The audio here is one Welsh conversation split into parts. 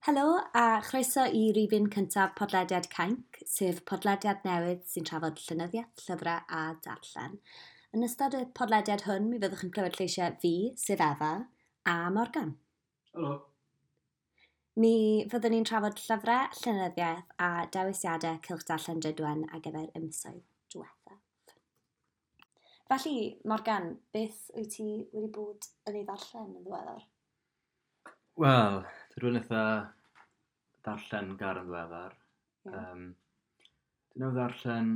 Helo a chroeso i rifyn cyntaf podlediad Cainc, sef podlediad newydd sy'n trafod llenyddiaeth, llyfrau a darllen. Yn ystod y podlediad hwn, mi fyddwch yn clywed lleisiau fi, sef Efa, a Morgan. Helo. Mi fyddwn ni'n trafod llyfrau, llenyddiaeth a dewisiadau cylch darllen Drudwen ar gyfer y misoedd diwethaf. Felly, Morgan, beth wyt ti wedi bod yn ei ddarllen yn ddiweddar? Wel, dwi rywun eitha darllen gar yn ddiweddar. Ie. Dwi newydd ddarllen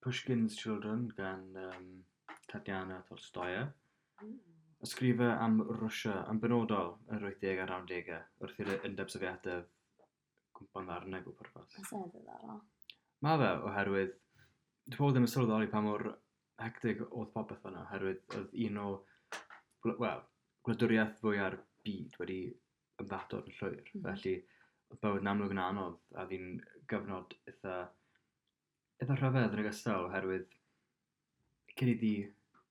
Pushkin's Children gan Tatiana Tolstoya. Ysgrifau am Rwsia yn benodol yn yr 80au a'r 90au wrth i'r Undeb Sofietaidd gwympo'n ddarnau bob pwrpas. Oes e ddiddorol? Mae fe oherwydd dwi pobl ddim yn sylweddoli pa mor hectic oedd popeth fan'na oherwydd oedd un o wel, gwladwriaeth fwya'r byd wedi ymddatod yn llwyr. Felly oedd bywyd yn amlwg yn anodd a oedd hi'n gyfnod eitha rhyfedd yn ogystal oherwydd cyn iddi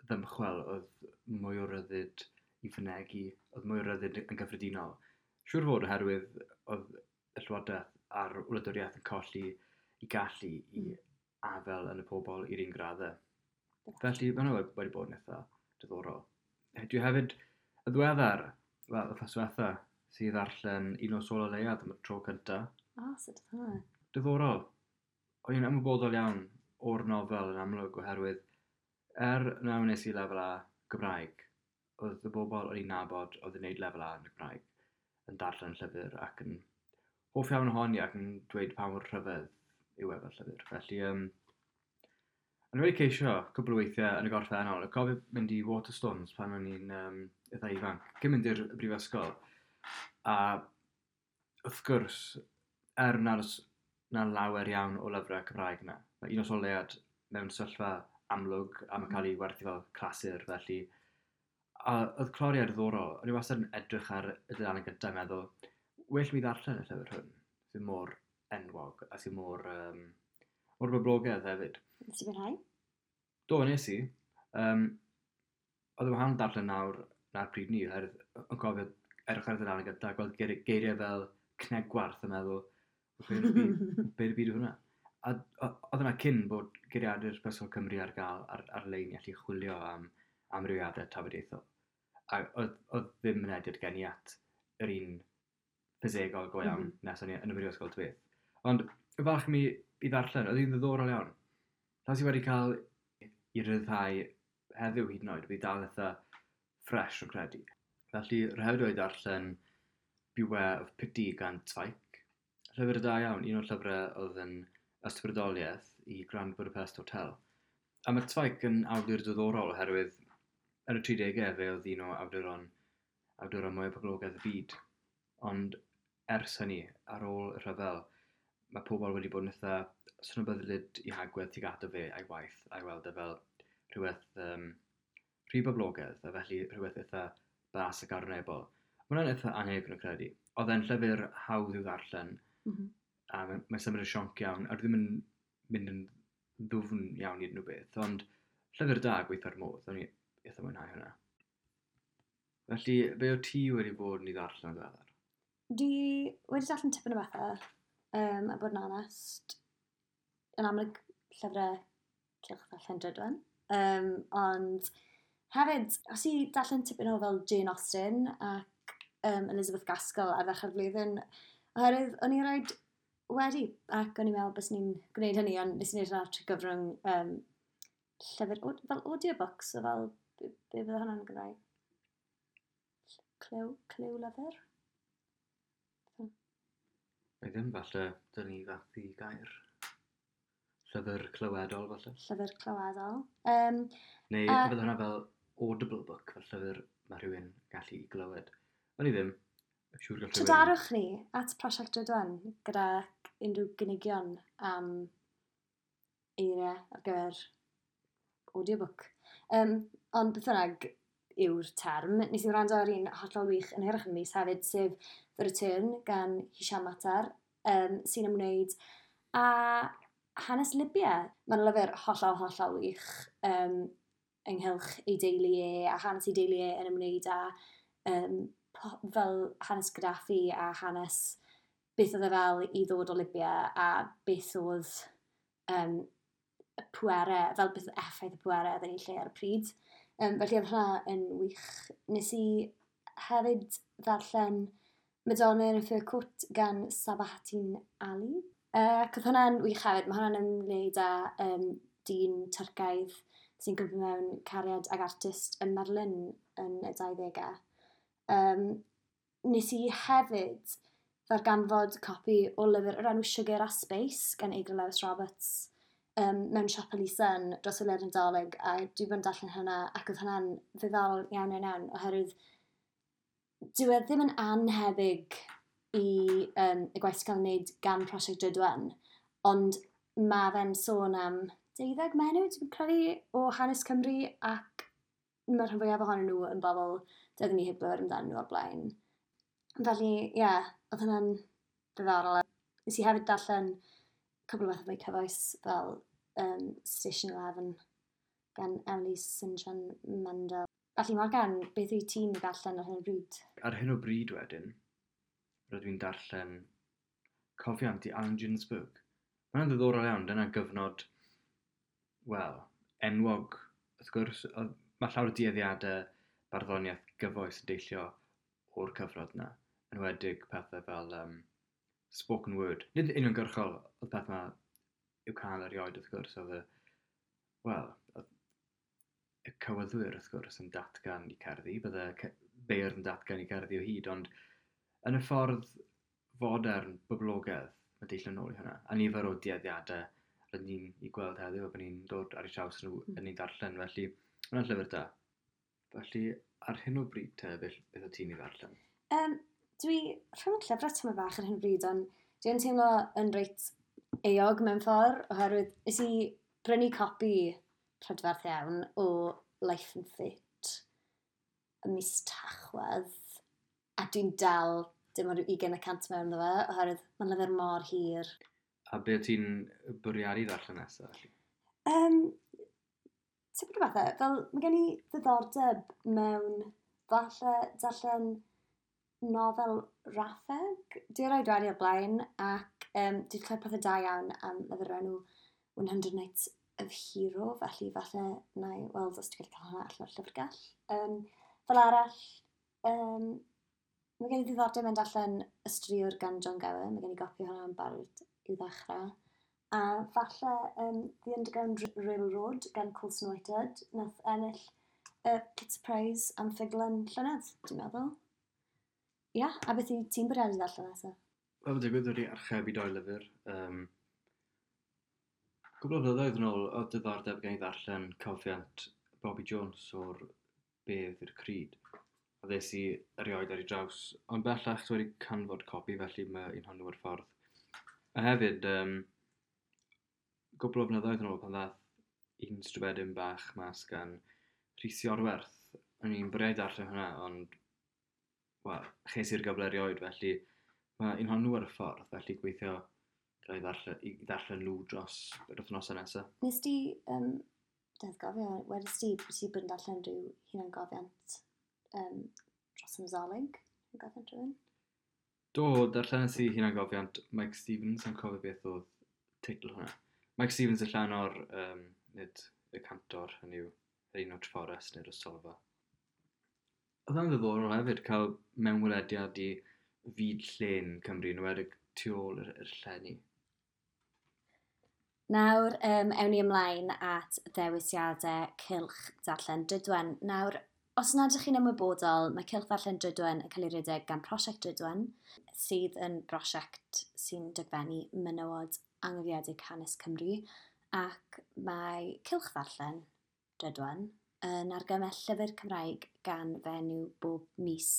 ddymchwel oedd mwy o ryddid i fynegi, oedd mwy o ryddid yn gyffredinol. Siŵr fod oherwydd oedd y llywodraeth a'r wladwriaeth yn colli i gallu i afael yn y pobl i'r un graddau. Felly mae hwnna wedi bod yn eitha diddorol. Dwi hefyd, y ddiweddar, wel, wythnos diwetha, sydd ddarllen Un Nos Ola Leuad am y tro cynta. O, sut oedd hwnna? Diddorol. O'n i'n ymwybodol iawn o'r nofel yn amlwg oherwydd na wnes i lefel A Gymraeg, oedd y bobl o'n i'n nabod oedd yn gwneud lefel A yn y Gymraeg yn darllen llyfr ac yn hoff iawn ohoni ac yn dweud pa mor rhyfedd yw e fel llyfr. Felly, o'n i wedi ceisio cwpl o weithiau yn y gorffennol. Dwi'n cofio mynd i Waterstones pan o'n i'n eitha ifanc, cyn mynd i'r brifysgol. A wrth gwrs, er nad oes 'na lawer iawn o lyfrau Cymraeg yna, mae Un Nos Ola Leuad mewn sefyllfa amlwg a mae'n cael ei werthu fel clasur, felly. A oedd cloriau diddorol. O'n i wastad yn edrych ar y dudalen gyntaf yn meddwl, well mi ddarllen y llyfr hwn, sy'n mor enwog a sy'n mor boblogaidd hefyd. Nes ti fwynhau? Do, nes i. Oedd yn wahanol darllen nawr na'r pryd ni, oherwydd yn cofio edrych ar y dudalen gyntaf, gweld geiriau fel cnegwarth a meddwl, be yn y byd, be yn y byd yw hwnna? A oedd hwnna cyn bod Geiriadur Prifysgol Cymru ar gael ar-lein i allu chwilio am amrywiadau tafodieithol. A oedd ddim mynediad gen i at yr un ffisegol go iawn nes o'n i yn y brifysgol ta beth. Ond y falch mi i ddarllen, oedd hi'n ddiddorol iawn. Las i wedi cael i ryddhau heddiw hyd yn oed, fi dal eitha ffres o'n credu. Felly, rhaid hefyd wedi darllen Beware of Pity gan Zweig. Llyfr da iawn, un o'r llyfrau oedd yn ysbrydoliaeth i Grand Budapest Hotel. A mae Zweig yn awdur diddorol oherwydd yn y 30au fe oedd un o awduron mwyaf poblogaidd y byd. Ond ers hynny, ar ôl y rhyfel, mae pobl wedi bod yn eitha snobyddlyd i hagwedd tuag ato fe a'i waith, a'i weld e fel rhywbeth rhy boblogaidd, a felly rhywbeth eitha bas ac arwynebol. Mae hwnna'n eitha annheg yn credu. Oedd e'n llyfr hawdd i'w ddarllen, a mae'n symud yn sionc iawn, a dwi ddim yn mynd yn ddwfn iawn i unrhyw beth, ond llyfr da gweithio'r modd, o'n i eitha mwynhau hwnna. Felly, be o ti wedi bod yn ei ddarllen yn ddiweddar? Dwi wedi darllen tipyn o bethau, a bod yn onest, yn amlwg llyfrau cylch ddarllen Drudwen. Ond hefyd, os i darllen tipyn o fel Jane Austen ac Elizabeth Gaskell ar ddechrau'r flwyddyn, oherwydd o'n i roed wedi, ac o'n i'n meddwl bys ni'n gwneud hynny, ond nes i wneud hynna trwy gyfrwng llyfr, fel audiobooks, o fel, be fydde hwnna'n Gymraeg? Clyw lyfr? Mae ddim falle, dyn ni fath i gair. Llyfr clywedol falle? Llyfr clywedol. Neu fydde hwnna fel audible book, fel llyfr mae rhywun gallu i glywed. O'n i ddim. Siŵr gall rhywun Trydarwch ni at Prosiect Drudwen gyda unrhyw gynigion am eiriau ar gyfer audiobook. Ond beth bynnag yw'r term, nes i wrando ar un hollol wych yn hirach yn y mis hefyd, sef The Return gan Hisham Matar, sy'n ymwneud â hanes Libya. Mae'n lyfr hollol, hollol wych ynghylch ei deulu e a hanes ei deulu e yn ymwneud â fel hanes Gaddafi a hanes beth oedd e fel i ddod o Libya a beth oedd y pwerau, fel beth oedd effaith y pwerau oedd yn ei lle ar y pryd. Felly oedd hwnna yn wych. Nes i hefyd ddarllen Madonna in a Fur Coat gan Sabahattin Ali. Ac oedd hwnna'n wych hefyd. Mae hwnna'n ymwneud â dyn Tyrcaidd sy'n gwybod mewn cariad ag artist ym Merlin yn y 20au. Nes i hefyd ddarganfod copi o lyfr o'r enw Sugar a Space gan Eigra Lewis Roberts mewn siop elusen dros y Led Nadolig, a dwi wedi bod yn darllen hynna ac oedd hynna'n ddiddorol iawn iawn iawn oherwydd dyw e ddim yn annhebyg i y gwaith sy'n cael ei wneud gan Prosiect Drudwen, ond mae fe'n sôn am 12 menyw, dwi'n credu, o hanes Cymru, ac mae'r rhan fwyaf ohonyn nhw yn bobl doeddwn ni heb glywed amdanyn nhw o'r blaen. Felly, ie, yeah, oedd hynna'n ddiddorol. Nes i hefyd darllen cwbl o bethau mwy cyfoes fel Station 11 gan Emily St. John Mandel. Felly, Morgan, beth wyt ti'n darllen ar hyn o bryd? Ar hyn o bryd wedyn, rydw i'n darllen Cofiant i Allen Ginsberg. Mae'n ddiddorol iawn, dyna gyfnod, wel, enwog. Wrth gwrs, mae llawer o dueddiadau barddoniaeth gyfoes yn deillio o'r cyfnod yna. Enwedig pethau fel spoken word. Nid uniongyrchol oedd peth yma i'w cael erioed wrth gwrs, oedd y, wel, oedd y cywyddwyr wrth gwrs yn datgan i cerddi, bydde beirdd yn datgan i cerddi o hyd, ond yn y ffordd fodern boblogaidd, mae deillio nôl i hwnna. A nifer o dueddiadau rydyn ni'n ei gweld heddiw a bod ni'n dod ar eu traws nhw yn ei darllen, felly hwnna'n llyfr da. Felly, ar hyn o bryd te, beth o ti'n ei ddarllen? Dwi rhwng llyfrau tyma bach ar hyn o bryd, ond dwi'n teimlo yn reit euog mewn ffordd, oherwydd nes i brynu copi prydferth iawn o Life and Fate ym mis Tachwedd, a dwi'n dal dim ond rhyw 20% mewn iddo fe, oherwydd mae'n lyfr mor hir. A be ti'n bwriadu ddarllen nesaf? Felly? Tipyn o bethau, fel mae gen i ddiddordeb mewn falle darllen nofel raffeg. Dwi erioed wedi o'r blaen, ac dwi wedi clywed pethau da iawn am lyfr enw 100 Nights of Hero, felly falle na i weld os dwi'n gallu cael hwnna allan o'r llyfrgell. Fel arall, mae gen i ddiddordeb mewn darllen Y Straeon gan John Gower, mae gen i gopi hwnna yn barod i'w ddechrau. A falle The Underground Railroad gan Colson Whitehead, nath ennill y Pulitzer Prize am ffuglen llynedd, dwi'n meddwl. Ia, a beth i ti'n bwriadu ddarllen nesaf? Wel, digwydd wedi archebu doi lyfr. Cwbl o flynyddoedd yn ôl, oedd diddordeb gen i ddarllen cofiant Bobby Jones o'r Bedd i'r Cryd. A ddes i erioed ar ei draws, ond bellach dwi wedi canfod copi, felly mae un hwnnw ar ffordd. A hefyd, gwbl o flynyddoedd yn ôl pan ddath un stribedyn bach mas gan Rhys Iorwerth. O'n i'n bwriadu darllen hwnna, ond wel, ches i'r gyfle erioed, felly mae un hwnnw ar y ffordd, felly gweithio gael i ddarllen nhw dros yr wythnosau nesaf. Nes di, deddgofio, wedys di, bod ti bod yn darllen rhyw hunangofiant dros y Nadolig? Hunangofiant rhywun? Do, darllenes i hunangofiant Mike Stevens, yn cofio beth oedd teitl hwnna. Mike Stevens y llanor, nid y cantor, hynny yw, yr un o Treforest neu'r Ystolfa. Oedd hwnna'n ddiddorol hefyd cael mewnwelediad i fyd llên Cymru, yn enwedig tu ôl i'r llenni. Nawr, ewn ni ymlaen at ddewisiadau Cylch Darllen Drudwen. Nawr, os nad ydych chi'n ymwybodol, mae Cylch Darllen Drudwen yn cael ei redeg gan Prosiect Drudwen, sydd yn brosiect sy'n dogfennu menywod anghofedig hanes Cymru, ac mae Cylch Ddarllen Drudwen yn argymell llyfr Cymraeg gan fenyw bob mis.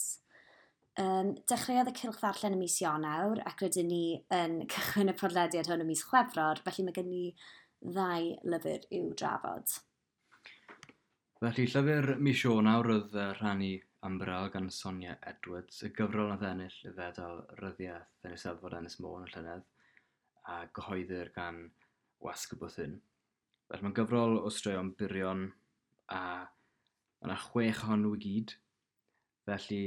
Dechreuodd y Cylch Ddarllen ym mis Ionawr, ac rydyn ni yn cychwyn y podlediad hwn ym mis Chwefror, felly mae gen ni ddau lyfr i'w drafod. Felly, llyfr mis Ionawr oedd Rhannu Ymbarél gan Sonia Edwards, y gyfrol nath ennill y fedal ryddiaeth yn Eisteddfod Ynys Môn y llynedd, a gyhoeddir gan Wasg y Bwthyn. Felly mae'n gyfrol o straeon byrion, a mae yna 6 ohonyn nhw i gyd. Felly,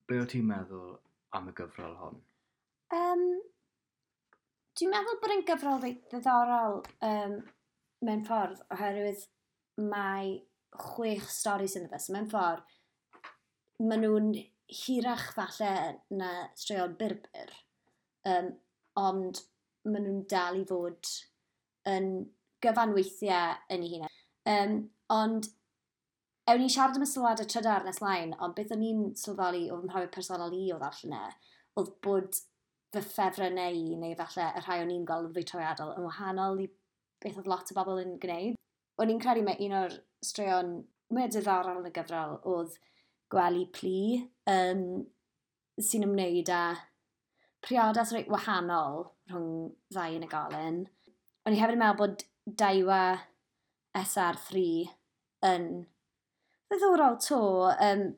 Be o ti'n meddwl am y gyfrol hon? Dwi'n meddwl bod e'n gyfrol reit ddiddorol mewn ffordd, oherwydd mae 6 stori sydd ynddo fe. So mewn ffordd, maen nhw'n hirach falle na straeon byr, ond maen nhw'n dal i fod yn gyfanweithiau yn ei hunain. Ond ewn ni'n siarad am y sylwadau trydar nes mlaen, ond beth o'n i'n sylweddoli o fy mhrofiad personol i o ddarllen e, oedd bod fy ffefrynnau i, neu falle y rhai o'n i'n gweld yn fwy trawiadol, yn wahanol i beth oedd lot o bobl yn gwneud. O'n i'n credu mai un o'r straeon mwyaf diddorol yn y gyfrol oedd Gwely Plu, sy'n ymwneud â priodas reit wahanol rhwng ddau unigolyn. O'n i hefyd yn meddwl bod Daiwa SR3 yn ddiddorol to,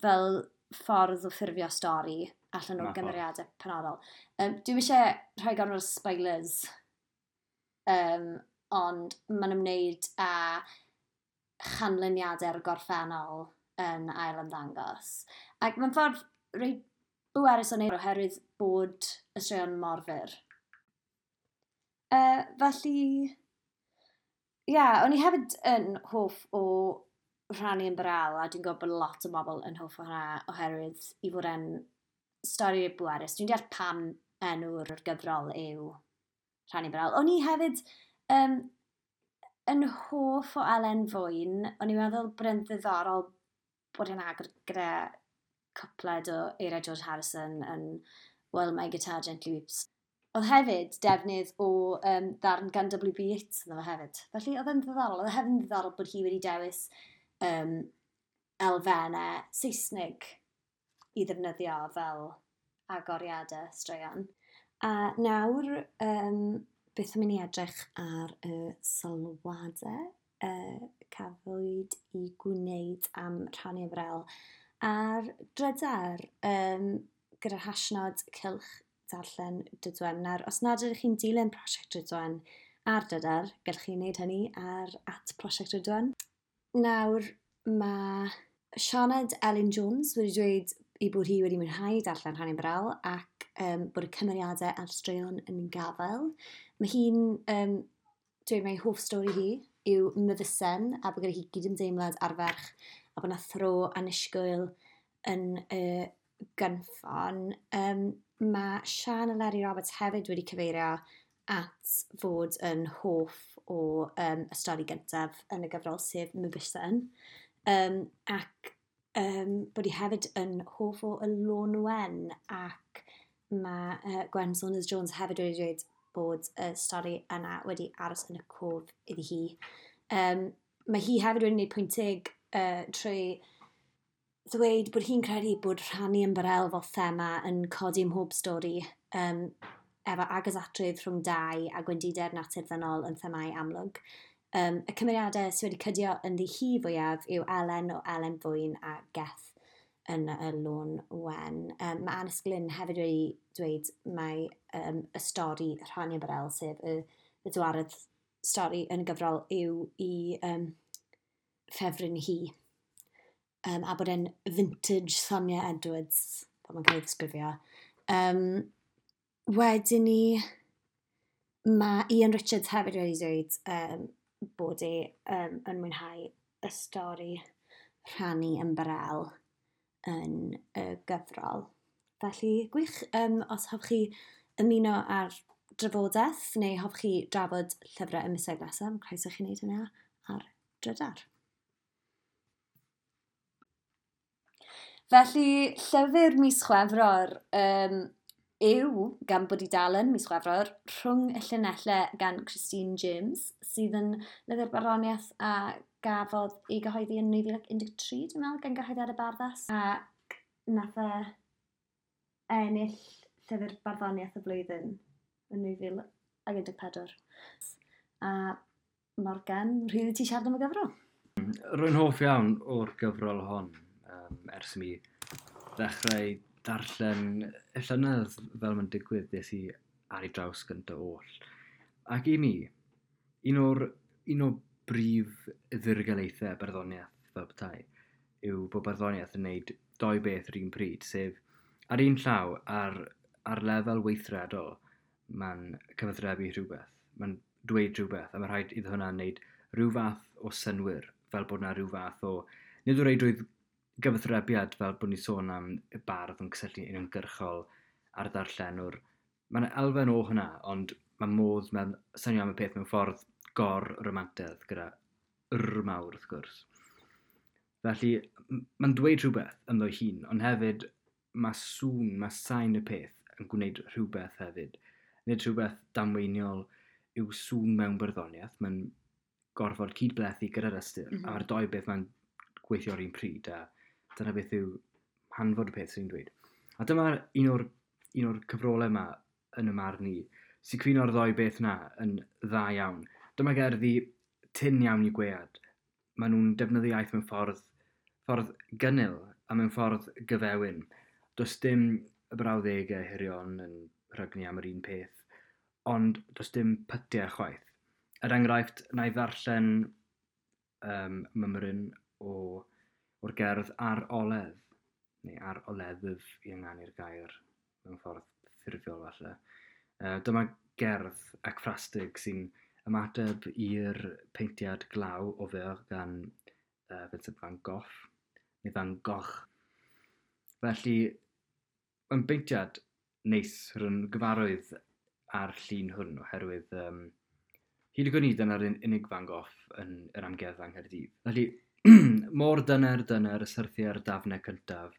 fel ffordd o ffurfio stori allan o'r Na ffordd. gymeriadau penodol. Dwi'm eisiau rhoi gormod o spoilers, ond mae'n ymwneud â chanlyniadau'r gorffennol yn ail ymddangos. Ac mae'n ffordd reit bwerus o wneud oherwydd bod y straeon mor fyr. Felly, ie, yeah, o'n i hefyd yn hoff o Rhannu Ymbarél, a dwi'n gwybod bod lot o bobl yn hoff o hwnna oherwydd i fod e'n stori bwerus. Dwi'n deall pam enw'r gyfrol yw Rhannu Ymbarél. O'n i hefyd yn hoff o Elen Fwyn. O'n i'n meddwl bod e'n ddiddorol bod e'n agor gyda cwpled o eiriau George Harrison yn While My Guitar Gently Weeps. Oedd hefyd defnydd o ddarn gan W.B. Yeats ynddo fe hefyd. Felly oedd e'n ddiddorol. Oedd e hefyd yn ddiddorol bod hi wedi dewis elfennau Saesneg i ddefnyddio fel agoriadau straeon. A nawr, beth am i ni edrych ar y sylwadau cafwyd i gwneud am Rhannu Ymbarél ar drydar, gyda'r hashnod cylch darllen Drudwen. Nawr, os nad ydych chi'n dilyn prosiect Drudwen ar drydar, gallwch chi wneud hynny ar @prosiectdrudwen. Nawr, mae Sioned Elin Jones wedi dweud ei bod hi wedi mwynhau darllen Rhannu Ymbarél ac bod y cymeriadau a'r straeon yn gafael. Mae hi'n dweud mai hoff stori hi yw Myfysen a bod gyda hi gydymdeimlad ar ferch a bod 'na thro annisgwyl yn y gynffon. Mae Sian Eleri Roberts hefyd wedi cyfeirio at fod yn hoff o y stori gyntaf yn y gyfrol, sef Myfysen. Ac bod hi hefyd yn hoff o Y Lôn Wen, ac mae Gwen Saunders Jones hefyd wedi dweud bod y stori yna wedi aros yn y cof iddi hi. Mae hi hefyd wedi gwneud pwynt teg trwy ddweud bod hi'n credu bod rhannu ymbarel fel thema yn codi ym mhob stori, efo agosatrwydd rhwng dau a gwendidau'r natur ddynol yn themâu amlwg. Y cymeriadau sydd wedi cydio ynddi hi fwyaf yw Elen o Elen Fwyn a Geth yn y Lôn Wen. Mae Annes Glynn hefyd wedi dweud mai y stori Rhannu Ymbarél, sef y dwaredd stori yn y gyfrol, yw i ffefryn hi. A bod e'n vintage Sonia Edwards, fel mae'n cael ei ddisgrifio. Wedyn ni, mae Ian Richards hefyd wedi dweud bod e yn mwynhau y stori Rhannu Ymbarél yn y gyfrol. Felly, gwych, os hoffech chi ymuno ar drafodaeth neu hoffech chi drafod llyfrau y misoedd nesaf, mae'n croeso chi wneud hynna ar drydar. Felly, llyfr mis Chwefror yw, gan bod i dal yn mis Chwefror, Rhwng y Llinellau gan Christine James, sydd yn lyfr barddoniaeth a gafodd ei gyhoeddi yn 2013, dwi'n meddwl, gan gyhoeddiad y Barddas. Ac nath e ennill llyfr barddoniaeth y flwyddyn yn 2014. A Morgan, rhydd i ti siarad am y gyfrol? Rwy'n hoff iawn o'r gyfrol hon, ers i mi ddechrau darllen y llynedd, fel mae'n digwydd, des i ar ei draws gyntaf oll. Ac i mi, un o brif ddirgelaethau barddoniaeth fel petai yw bod barddoniaeth yn gwneud doi beth yr un pryd, sef Ar un llaw, ar lefel weithredol, mae'n cyfathrebu rhywbeth. Mae'n dweud rhywbeth, a mae rhaid iddo hwnna wneud rhyw fath o synnwyr, fel bod yna rhyw fath o... Nid o reidrwydd gyfathrebiad fel bod ni'n sôn am y bardd yn cysylltu uniongyrchol a'r darllenwr. Mae yna elfen o hwnna, ond mae modd mewn synio am y peth mewn ffordd gor-romantedd gyda R mawr, wrth gwrs. Felly, mae'n dweud rhywbeth ynddo'i hun, ond hefyd mae sŵn, mae sain y peth yn gwneud rhywbeth hefyd. Nid rhywbeth damweiniol yw sŵn mewn barddoniaeth, mae'n gorfod cydblethu gyda'r ystyr, a mae'r dou beth mae'n gweithio ar un pryd, a dyna beth yw hanfod y peth sy'n dweud. A dyma un o'r cyfrolau yma yn y marn i, sy'n cyfuno'r ddou beth yna yn dda iawn. Dyma gerddi tyn iawn i gwead. Maen nhw'n defnyddio iaith mewn ffordd gynnil a mewn ffordd gyfewin. Does dim y brawddegau hirion yn rhygnu am yr un peth, ond does dim pytiau chwaith. Er enghraifft, na i ddarllen mymryn o'r gerdd Ar Oledd, neu Ar Oleddf i ynganu'r gair mewn ffordd ffurfiol falle. Dyma gerdd ecffrastig sy'n ymateb i'r peintiad Glaw Au Vert gan Vincent van Gogh, neu Van Gogh. Felly, mae'n beintiad neis, rwy'n gyfarwydd â'r llun hwn oherwydd hyd y gwn i dyna'r unig Van Gogh yn yr amgueddfa yng Nghaerdydd. Felly, mor dyner dyner y syrthiau'r dafnau cyntaf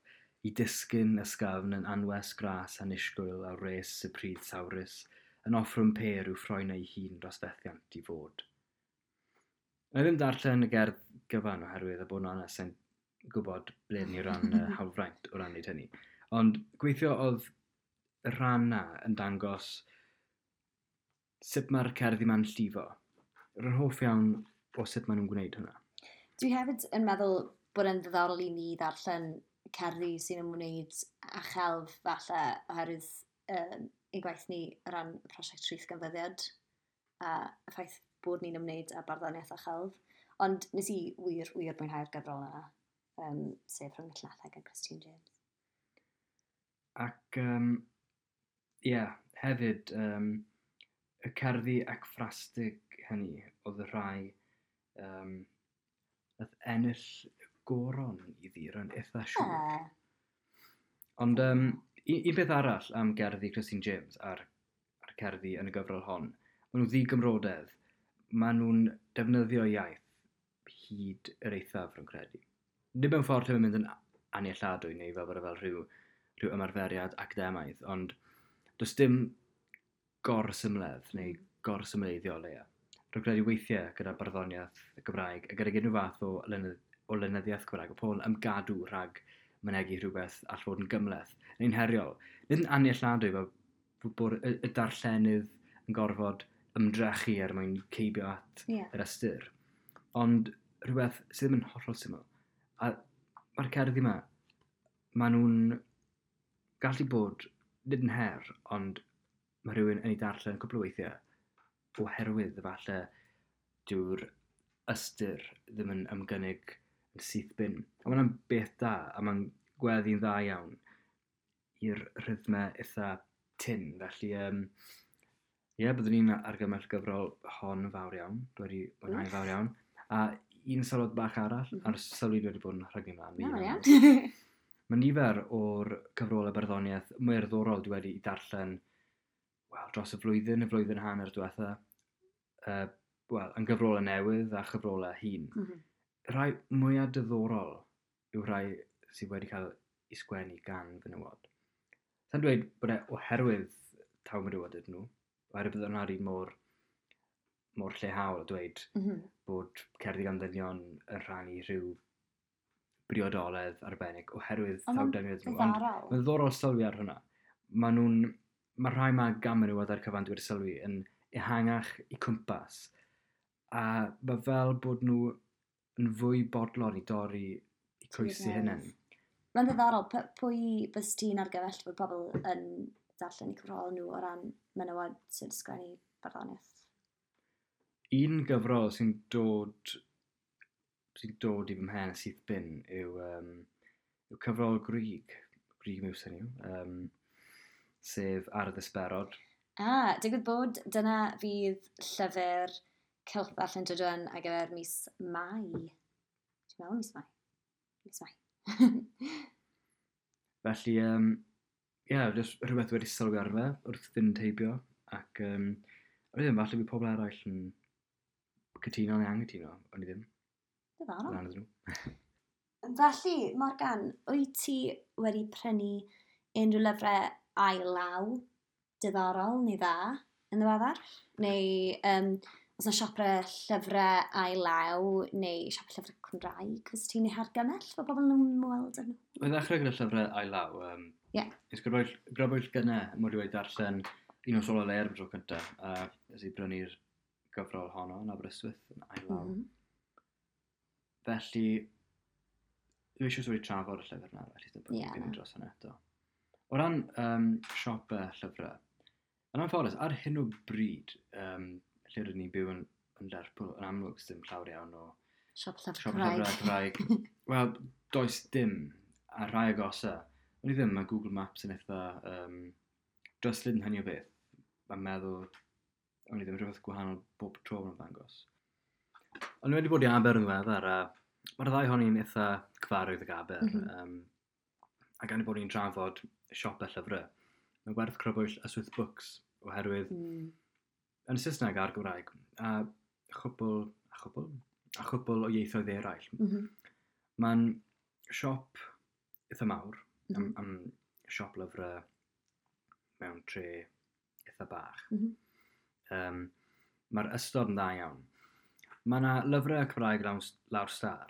i disgyn ysgafn yn anwes gras annisgwyl a wres y pridd sawrus yn offrwm pêr i'w ffroen ei hun dros fethiant i fod. Na i ddim darllen y gerdd gyfan oherwydd y bod yn onest yn gwybod ble ni o ran hawlfraint o ran wneud hynny. Ond gweithio oedd y rhan na yn dangos sut mae'r cerddi ma'n llifo. Rwy'n hoff iawn o sut maen nhw'n gwneud hwnna. Dwi hefyd yn meddwl bod e'n ddiddorol i ni ddarllen cerddi sy'n ymwneud â chelf falle oherwydd ein gwaith ni o ran y prosiect Rhith Ganfyddiad a y ffaith bod ni'n ymwneud â barddoniaeth a chelf. Ond nes i wir, wir mwynhau'r gyfrol yna, sef Rhwng y Llinellau gan Christine James. Ac, yeah, hefyd, y cerddi ecffrastig hynny oedd y rhai nath ennill goron iddi, rwy'n eitha siŵr. Ond un peth arall am gerddi Christine James a'r cerddi yn y gyfrol hon, maen nhw ddigymrodedd. Maen nhw'n defnyddio iaith hyd yr eithaf, rwy'n credu. Nid mewn ffordd lle mae'n mynd yn annealladwy neu fel bod e fel rhyw ymarferiad academaidd, ond does dim gorsymledd neu gorsymleiddio o leia. Rwy'n credu weithiau gyda barddoniaeth y Gymraeg a gyda unrhyw fath o lenyddiaeth Gymraeg, o pobl yn ymgadw rhag mynegi rhywbeth all fod yn gymhleth neu'n heriol. Nid yn annealladwy fel bod y darllenydd yn gorfod ymdrechu er mwyn ceibio at yr ystyr. Ond rhywbeth sydd ddim yn hollol syml. A mae'r cerddi yma, maen nhw'n gallu bod, nid yn her, ond mae rhywun yn ei darllen cwpl o weithiau oherwydd efallai dyw'r ystyr ddim yn ymgynnig yn syth bin. A mae hwnna'n beth da, a mae'n gweddi'n dda iawn i'r rhythmau eitha tyn. Felly, ie, byddwn ni'n argymell gyfrol hon yn fawr iawn. Dwi wedi mwynhau'n fawr iawn. A un sylwad bach arall, a'r sylwi dwi wedi bod yn rhygnu mlaen. Na, mae'n iawn. Mae nifer o'r cyfrolau barddoniaeth mwy diddorol dwi wedi darllen, wel, dros y flwyddyn hanner diwetha. Wel, yn gyfrolau newydd a chyfrolau hŷn. Rhai mwyaf diddorol yw rhai sydd wedi cael eu sgwennu gan fenywod. Sa'n dweud bod e oherwydd taw menywod ydyn nhw, oherwydd bydd hwnna'r un mor llehaol a dweud bod cerddi gan ddynion yn rhannu rhyw briodoledd arbennig oherwydd Ond taw ma'n dynion ydyn nhw. Ond ddiddorol. mae'n ddiddorol sylwi ar hwnna. Mae rhai ma gan menywod ar cyfan dwi wedi sylwi yn ehangach i cwmpas. A mae fel bod nhw yn fwy bodlon i dorri i croesi hunain. Mae'n ddiddorol, pwy bys ti'n argymell bod pobl yn darllen eu cyfrol nhw o ran menywod sy'n sgwennu barddoniaeth? Un gyfrol sy'n dod i fy mhen syth bin yw cyfrol Grug, Remus hynny yw, sef Ar y Ddisberod. A, digwydd bod dyna fydd llyfr Cylch Ddarllen Drudwen ar gyfer mis Mai. Dwi'n meddwl mis Mai. Mis Mai. Felly, ie, jyst rhywbeth wedi sylwi arno fe wrth fynd heibio. Ac, o'n i ddim, falle bydd pobl eraill yn cytuno neu anghytuno, o'n i ddim. Diddorol. Lan iddyn nhw. Felly, Morgan, wyt ti wedi prynu unrhyw lyfrau ail law diddorol neu dda yn ddiweddar? Neu os yna siopau llyfrau ail law neu siop llyfrau Cymraeg, fes ti'n ei hargymell fod pobl yn ymweld â nhw? Mae'n ddechrau gyda llyfrau ail law. Nes grybwyll gynnau, mod i wedi darllen Un Nos Ola Leuad am tro cyntaf, a nes i brynu'r gyfrol honno yn Aberystwyth yn ail law. Felly, dwi eisiau wedi trafod y llyfr yna, felly ddim bod yn dros hynny eto. O ran siopau llyfrau, yn anffodus, ar hyn o bryd, lle rydyn ni'n byw yn Lerpwl, yn amlwg sydd ddim llawer iawn o siop llyfrau Cymraeg. Cymraeg. Wel, does dim, a rhai agosa. O'n i ddim, mae Google Maps yn eitha dryslyd yn hynny o beth. Mae'n meddwl, o'n i ddim, rhywbeth gwahanol bob tro yn ddangos. Ond wedi bod i Aber yn ddiweddar, a mae'r ddau honi'n eitha cyfarwydd ag Aber. A gan i bod ni'n trafod siopau llyfrau, mae werth crybwyll Ystwyth Books, oherwydd yn Saesneg a'r Gymraeg, a chwpl o ieithoedd eraill. Mae'n siop eitha mawr, am siop lyfrau mewn tre eitha bach. Mae'r ystod yn dda iawn. Mae yna lyfrau Cymraeg lawr star.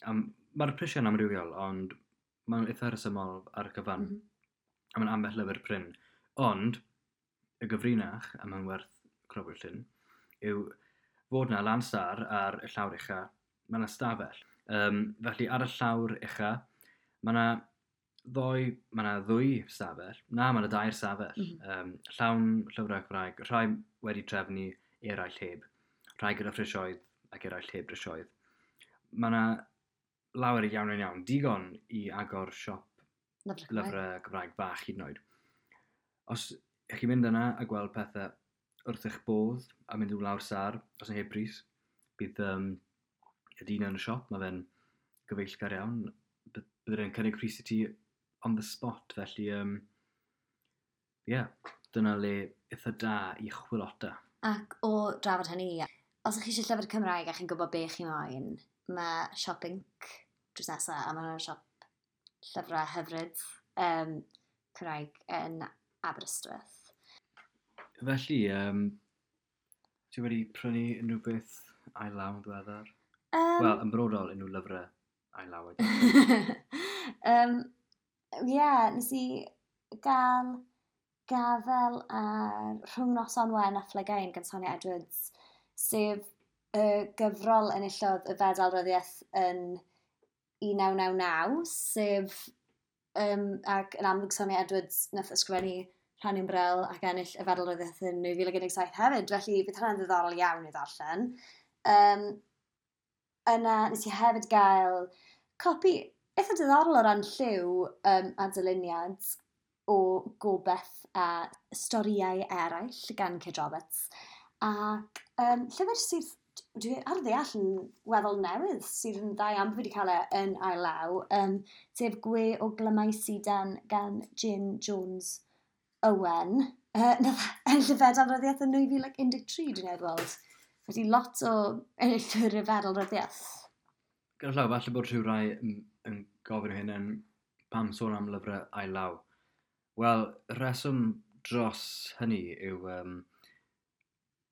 Mae'r prisiau'n amrywiol, ond mae'n eitha rhesymol ar y cyfan. A mae'n ambell lyfr prin. Ond, y gyfrinach, a mae'n werth crybwyll hyn, yw fod yna lan star ar y llawr ucha, mae yna stafell. Felly ar y llawr ucha, mae yna ddwy stafell, na, mae yna dair stafell, llawn llyfrau Cymraeg, rhai wedi trefnu, eraill heb, rhai gyda phrisoedd ac eraill heb brisoedd. Mae yna lawer iawn yn iawn, digon i agor siop lyfrau Cymraeg bach hyd yn oed. Os ych chi'n mynd yna a gweld pethau wrth eich bodd a mynd i'w lawr sar, os yn heb pris, bydd y dyn yn y siop, mae fe'n gyfeillgar iawn, bydd e'n cynnig pris i ti on the spot, felly dyna le eitha da i chwilota. Ac o drafod hynny, os ydych chi eisiau llyfr Cymraeg a chi'n gwybod be chi moyn, mae Siop Inc drws nesaf, a mae'n siop llyfrau hyfryd Cymraeg yn Aberystwyth. Felly, ti wedi prynu unrhyw beth ail law yn ddiweddar? Wel, yn brodol unrhyw lyfrau ail law. Nes i gael gafel ar Rhwng Noson Wen a Phlygain gan Sonia Edwards, sef y gyfrol enillodd y Fedal Ryddiaeth yn 1999, sef, ac yn amlwg Sonia Edwards nath ysgrifennu Rhan Ymbrel ac ennill y Fedal Ryddiaeth yn 2017 hefyd, felly bydd hwnna'n ddiddorol iawn i ddarllen. Yna nes i hefyd gael copi eitha diddorol o ran lliw a dyluniad o Gobeith a storïau eraill gan Kate Roberts. Ac llyfr sydd, dwi ar ddeall yn weddol newydd, sydd yn dda iawn bod fi wedi cael e yn ail law, sef Gwe o Glymau Sidan gan Jane Jones Owen. Nath ennill y Fedal Ryddiaeth yn 2013, dwi'n meddwl weld. Felly lot o enillwyr y Fedal Ryddiaeth. Gyda llaw, falle bod rhyw rai yn gofyn hyn yn pam sôn am lyfrau ail law. Wel, rheswm dros hynny yw,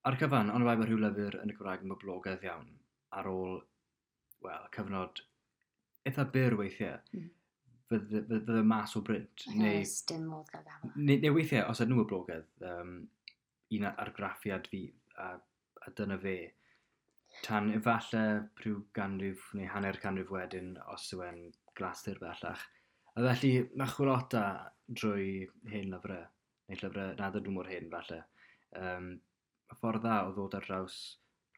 ar cyfan, ond bai bod rhyw lyfr yn y Gymraeg yn boblogaidd iawn ar ôl, wel, cyfnod eitha byr weithiau, fydde mas o brint. Neu, dim modd gael gafel. Neu weithiau, os ydyn nhw boblogaidd, un argraffiad fydd, a dyna fe. Tan efallai rhyw ganrif neu hanner canrif wedyn, os yw e'n glasur bellach. A felly, mae chwilota drwy hen lyfrau, neu llyfrau nad ydyn nhw mor hen falle. Y ffordd dda o ddod ar draws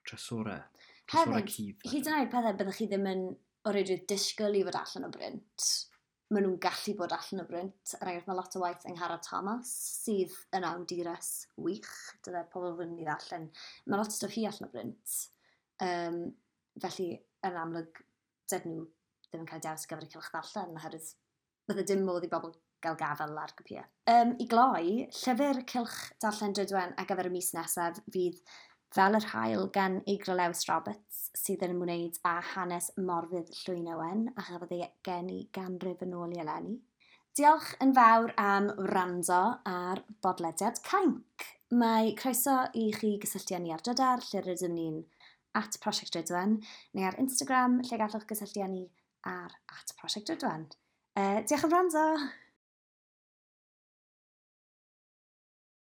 trysorau. Trysorau Hefyd, cudd, falle. Hyd yn oed pethau byddwch chi ddim yn o reidrwydd disgwyl i fod allan o brint. Maen nhw'n gallu bod allan o brint. Er enghraifft, mae lot o waith Angharad Thomas, sydd yn awdures wych, dyle pobl fod yn ei ddarllen. Mae lot o stwff hi allan o brint. Felly, yn amlwg, dydyn nhw ddim yn cael dewis ar gyfer y cylch ddarllen, oherwydd bydde dim modd i bobl gael gafael ar gopïau. I gloi, llyfr cylch darllen Drudwen ar gyfer y mis nesaf fydd Fel yr Haul gan Eigra Lewis Roberts, sydd yn ymwneud â hanes Morfudd Llwyn Owen a chafodd ei geni ganrif yn ôl i eleni. Diolch yn fawr am wrando ar bodlediad Cainc. Mae croeso i chi gysylltu â ni ar Drydar, lle rydym ni'n @ProsiectDrudwen, neu ar Instagram, lle gallwch gysylltu â ni ar @ProsiectDrudwen. Diolch am wrando!